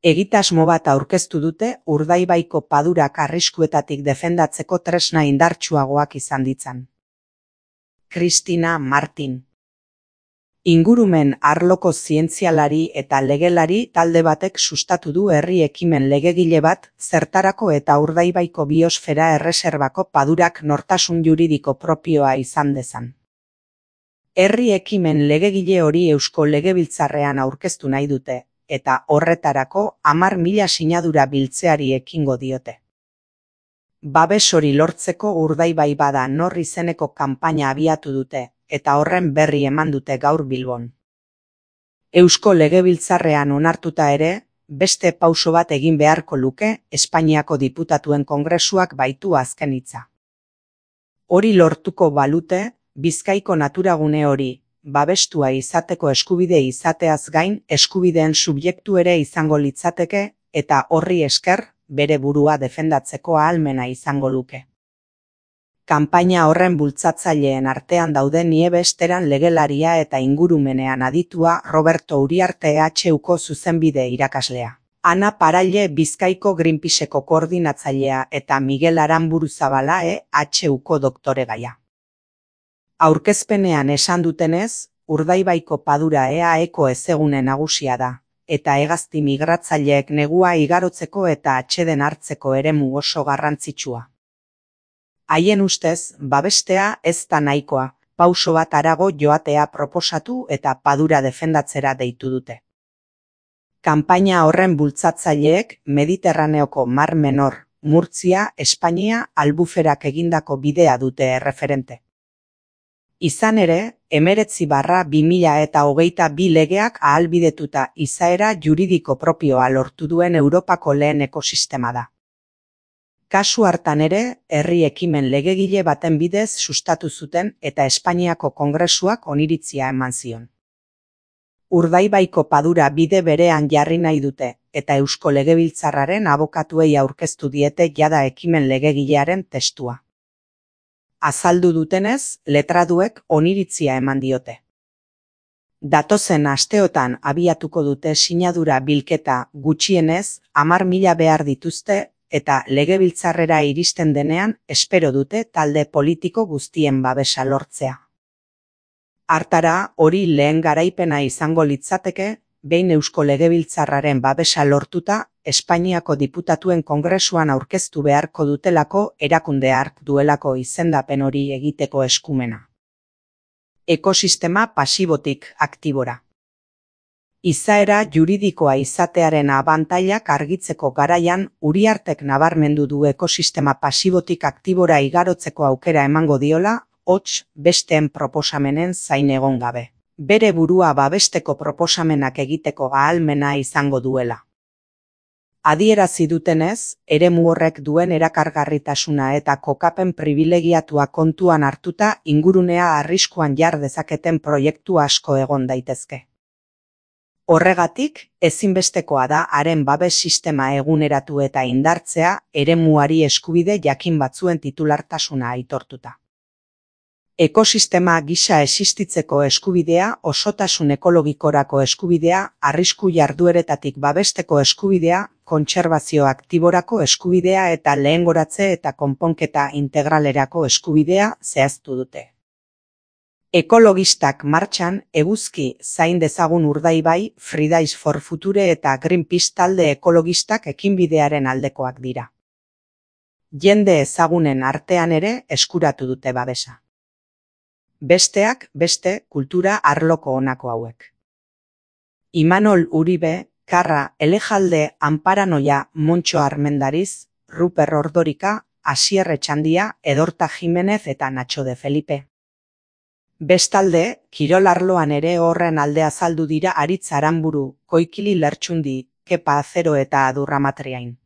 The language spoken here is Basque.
Egitasmo bat aurkeztu dute Urdaibaiko padurak arriskuetatik defendatzeko tresna indartsuagoak izan ditzan. Cristina Martin. Ingurumen arloko zientzialari eta legelari talde batek sustatu du herri ekimen legegile bat zertarako eta Urdaibaiko biosfera erreserbako padurak nortasun juridiko propioa izan dezan. Herri ekimen legegile hori Eusko Legebiltzarrean aurkeztu nahi dute, eta horretarako 10.000 sinadura biltzeari ekingo diote. Babes hori lortzeko Urdaibai bada nor izeneko kanpaina abiatu dute, eta horren berri eman dute gaur Bilbon. Eusko Legebiltzarrean onartuta ere, beste pauso bat egin beharko luke Espainiako Diputatuen Kongresuak baitu azken hitza. Hori lortuko balute, Bizkaiko naturagune hori, babestua izateko eskubide izateaz gain eskubideen subjektu ere izango litzateke eta horri esker bere burua defendatzeko ahalmena izango luke. Kanpaina horren bultzatzaileen artean daude Nieves Teran legelaria eta ingurumenean aditua Roberto Uriarte HUko zuzenbide irakaslea. Ana Paralle Bizkaiko Greenpeaceko koordinatzailea eta Miguel Aranburuzabala HUko doktoregaia. Aurkezpenean esan dutenez, Urdaibaiko padura EAEko ezegune nagusia da, eta hegazti migratzaileek negua igarotzeko eta atseden hartzeko eremu oso garrantzitsua. Haien ustez, babestea ez da nahikoa, pauso bat harago joatea proposatu eta padura defendatzera deitu dute. Kanpaina horren bultzatzaileek Mediterraneoko Mar Menor, Murtzia, Espainia, Albuferak egindako bidea dute erreferente. Izan ere, 19/2022 legeak ahalbidetuta izaera juridiko propioa lortu duen Europako lehen ekosistema da. Kasu hartan ere, herri ekimen legegile baten bidez sustatu zuten eta Espainiako Kongresuak oniritzia eman zion. Urdaibaiko padura bide berean jarri nahi dute, eta Eusko Legebiltzarraren abokatuei aurkeztu diete jada ekimen legegilearen testua. Azaldu dutenez, letraduek oniritzia eman diote. Datozen asteotan abiatuko dute sinadura bilketa gutxienez 10.000 behar dituzte eta Legebiltzarrera iristen denean espero dute talde politiko guztien babesa lortzea. Hartara, hori lehen garaipena izango litzateke, behin Eusko Legebiltzarraren babesa lortuta, Espainiako Diputatuen Kongresuan aurkeztu beharko dutelako erakunde hark duelako izendapen hori egiteko eskumena. Ekosistema pasibotik aktibora. Izaera juridikoa izatearen abantailak argitzeko garaian Uriartek nabarmendu du ekosistema pasibotik aktibora igarotzeko aukera emango diola, hots besteen proposamenen zain egon gabe. Bere burua babesteko proposamenak egiteko ahalmena izango duela. Adierazi dutenez, eremu horrek duen erakargarritasuna eta kokapen pribilegiatua kontuan hartuta ingurunea arriskuan jar dezaketen proiektu asko egon daitezke. Horregatik, ezinbestekoa da haren babes sistema eguneratu eta indartzea eremuari eskubide jakin batzuen titulartasuna aitortuta. Ekosistema gisa existitzeko eskubidea, osotasun ekologikorako eskubidea, arrisku jardueretatik babesteko eskubidea, kontserbazio aktiborako eskubidea eta lehengoratze eta konponketa integralerako eskubidea zehaztu dute. Ekologistak martxan, eguzki zain dezagun Urdaibai, Fridays for Future eta Greenpeace talde ekologistak ekinbidearen aldekoak dira. Jende ezagunen artean ere eskuratu dute babesa. Besteak beste kultura arloko honako hauek. Imanol Uribe, Karra Elejalde Anparanoia Montxo Armendariz, Ruper Ordorika, Asier Etxandia, Edorta Jimenez eta Nacho de Felipe. Bestalde, kirol arloan ere horren alde azaldu dira Aritz Aranburu, Koikili Lertxundi, Kepa Azero eta Adurra Matriain.